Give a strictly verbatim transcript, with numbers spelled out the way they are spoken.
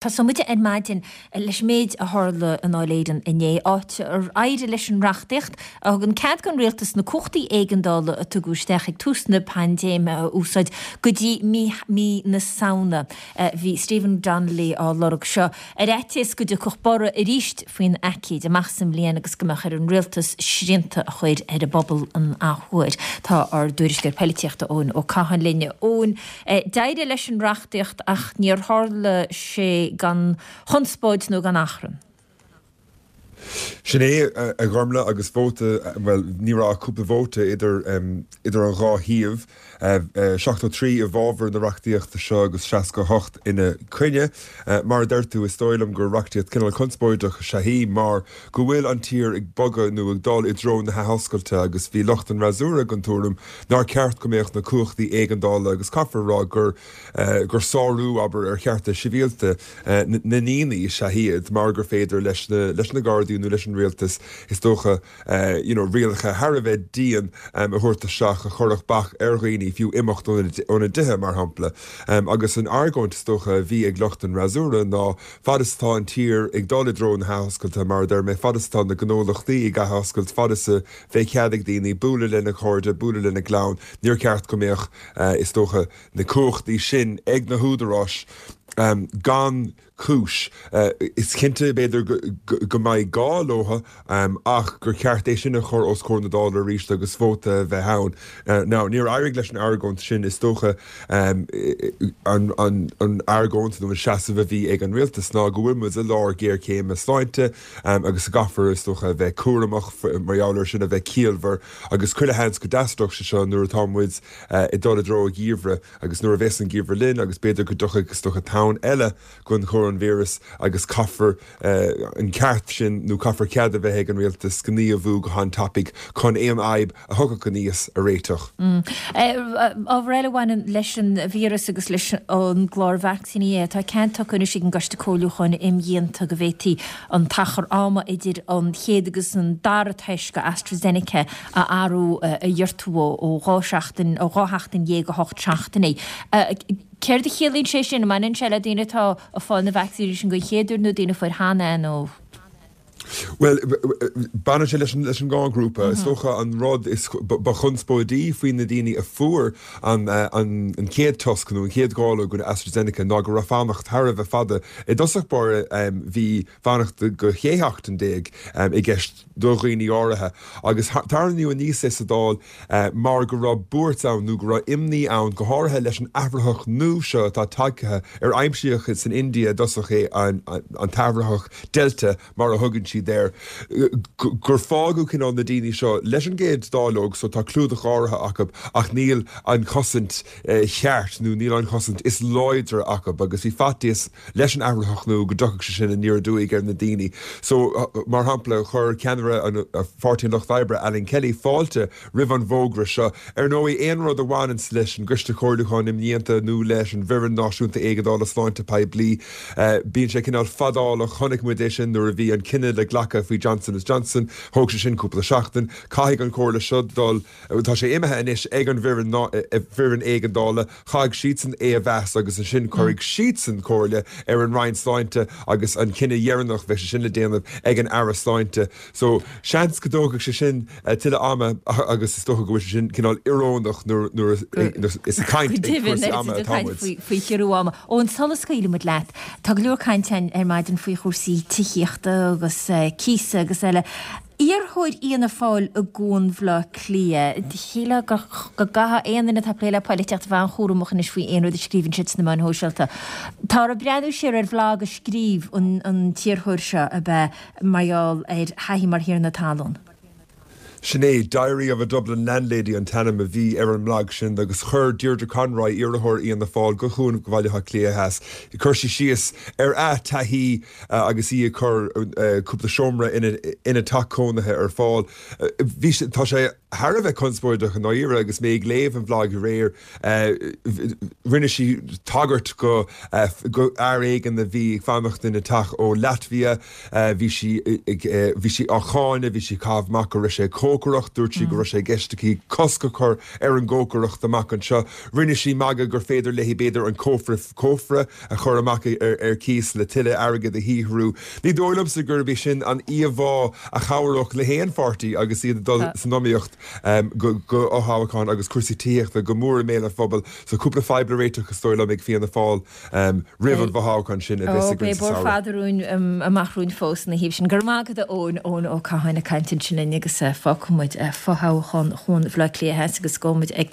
Tosóidh muid ar maidin leis an méid a tharla i nDáil Éireann inné, áit ar éirigh leis an reachtaíocht a thugann cead don rialtas na cumhachtaí éigeandála a tugadh isteach ag tús na paindéime a úsáid go dtí mí na Samhna. Bhí Stephen Donnelly á lorg seo ar fhaitíos go dtiocfadh borradh arís faoin aicíd amach sa mbliain agus go mbeadh ar an rialtas srianta a chur ar an bpobal an athuair. Tá ár dtuairisceoir poilitíochta Eoin Ó Catháin linn. Eoin, d'éirigh leis an reachtaíocht ach níor tharla sé gan chonspóid nó gan achrann. Sin é, a Ghormfhlaith, agus vóta, bhuel, ní raibh ach cúpla vóta idir idir an dhá thaobh, seachtó trí i bhfabhar na reachtaíochta seo agus seasca a hocht ina coinne. Mar a deir tú, is dóigh liom gur reachtaíocht cineál conspóideach is ea í mar go bhfuil an tír ag bogadh nó ag dul i dtreo na hathoscailte agus bhí lucht an fhreasúra den tuairim nár cheart go mbeadh na cumhachtaí éigeandála agus caithfear a rá gur gur sárú, abair, ar chearta sibhialta na ndaoine is ea iad mar gur féidir leis na leis na Gardaí nó leis an rialtas, is dócha, you know rialacha thar a bheith dian a thabhairt isteach a chuirfeadh bac ar dhaoine fiú imeacht óna dtithe, mar shampla. Agus an argóint, is dócha, a bhí ag lucht an fhreasúra ná fad is atá an tír ag dul i dtreo na hathoscailte, mar a deir mé, fad is atá na gnólachtaí ag athoscailt, fad is a bheidh cead ag daoine bualadh lena gcairde, bualadh lena gclann, níor cheart go mbeadh, is dócha, na cumhachtaí sin ag na húdaráis gan cúis. Is cinnte, b'fhéidir, go mbeidh gá leo ach gur cheart é sin a chur os comhair na Dála arís agus vóta a bheith ann. Now, níor éirigh leis an argóint sin, is dócha. An argóint nó an seasamh a bhí ag an rialtas ná go bhfuil muid i lár géarchéime sláinte agus go gcaithfear, is dócha, a bheith cúramach mar gheall air sin, a bheith ciallmhar agus chuile sheans go dteastódh sé seo nuair atá muid ag dul i dtreo an gheimhridh agus nuair a bheas an geimhreadh linn agus b'fhéidir go dtiocfaidh, is dócha, tonn eile den choróinvíreas agus caithfear an ceart sin nó caithfear cead a bheith ag an rialtas gníomhú go han-tapaidh chun aon fhadhb a thiocfadh aníos a réiteach. Ábhar eile a bhaineann leis an víreas agus leis an gclár vacsaíní é, tá cead tugtha anois ag an gCoiste Comhairliúcháin Imdhíonta go bhféadfaí an t-achar ama idir an chéad agus an dara toisc AstraZeneca a athrú, a ghiortú ó dhá sheachtain, ó dhá sheachtain dhéag go hocht seachtainí. Céard a chiallaíonn sé sin? An mbaineann sé le daoine atá ag fáil na vacsaíní sin den chéad uair nó daoine a fuair cheana é nó? Bhuel, baineann sé leis an dhá ghrúpa. Is dócha an rud is ba chonspóidí faoi na daoine a fuair an chéad toisc nó an chéad dháileog den AstraZeneca ná go raibh fanacht thar a bheith fada. I dtosach báire bhí fanacht go shé sheachtain déag i gceist do dhaoine áirithe agus tarraingíodh aníos é sa Dáil mar go raibh buairt ann nó go raibh imní ann, go háirithe leis an athraitheach nua seo atá tagtha, ar aimsíodh san India i dtosach é, an t-athraitheach Delta mar a thugann siad air, gur fágadh cineál na daoine seo leis an gcéad dáileog so tá clúdach áirithe acu ach níl an chosaint cheart nó níl an chosaint is láidre acu agus bhí faitíos leis an athraitheach nua go dtiocfadh sé sin aniar aduaidh ar na daoine. So, mar shampla, chuir ceannaire an Pháirtí an Lucht Oibre, Alan Kelly, fáilte roimh an bhfógra seo. Ar ndóigh, aon rud a bhaineanns leis an gCoiste Comhairliúcháin Imdhíonta nó leis an bhFoireann Náisiúnta Éigeandála Sláinte Poiblí, bíonn sé cineál fadálach. Chonaic muid é sin nuair a bhí an cinneadh le glacadh faoi Johnson is Johnson. Thóg sé sin cúpla seachtain. Caithfidh an chomhairle seo dul, tá sé imithe anois ag an bhfoireann éigeandála, caithfidh siadsan é a mheas agus ansin cuirfidh siadsan comhairle ar an Roinn Sláinte agus an cinneadh dheireanach, bheidh sé sin le déanamh ag an Aire Sláinte. So, seans go dtógfaidh sé sin tuilleadh ama agus is dócha go bhfuil sé sin cineál íorónach nuair is ag caint ag cúrsaí ama atá muid. Faoi chiorrú ama. Eoin, sula scaoilfidh muid leat, tá go leor cainte ann ar maidin faoi chúrsaí tithíochta agus cíosa agus eile. Iarrthóir Fhianna Fáil i gCuan Bhaile Átha Cliath, shílfeá go gcaithfeadh aon duine atá ag plé le poilitíocht a bheith an-chúramach anois faoi aon rud a scríobhann siad sna meáin shóisialta. Táthar ag breathnú siar ar bhlag a scríobh an t-iarrthóir seo, ab ea, mar gheall ar a thaithí mar thiarna talún. Sin é, Diary of a Dublin Landlady an t-ainm a bhí ar an mblag sin agus chuir Deirdre Conroy, iarrthóir Fhianna Fáil go Cuan Bhaile Átha Cliath Theas, chuir sí síos ar a taithí agus í ag cur cúpla seomra ina teach cónaithe ar fáil. Bhí sé, tá sé thar a bheith conspóideach i ndáiríre agus mé ag léamh an bhlag aréir, rinne sí tagairt go go fhear éigin a bhí ag fanacht ina teach ó Latvia, bhí sí ag bhí sí á cháineadh, bhí sí ag caitheamh amach go raibh sé ag cócaireacht, dúirt sí go raibh sé i gceist aici cosc a chur ar an gcócaireacht amach anseo. Rinne sí magadh gur féidir léi b'fhéidir an cófra cófra a chur amach ar ar cíos le tuilleadh airgid a shaothrú. Ní dóigh liomsa gurb é sin an íomhá a chabhródh le haon pháirtí agus iad ag dul san iomaíocht go fothoghchán agus cúrsaí tithíochta go mór i mbéal an phobail. So cúpla fadhb le réiteach is dóigh liom ag Fianna Fáil roimh an bhfothoghchán sin a bheas againn sa samhradh. Beidh bóthar fada romhainn amach romhainn fós ina thaobh sin. Go raibh maith agat a Eoin, Eoin Ó Catháin ag caint ansin linn agus fágfaidh muid fothoghchán Chuan Bhaile Átha Cliath Theas agus gabhfaidh muid ag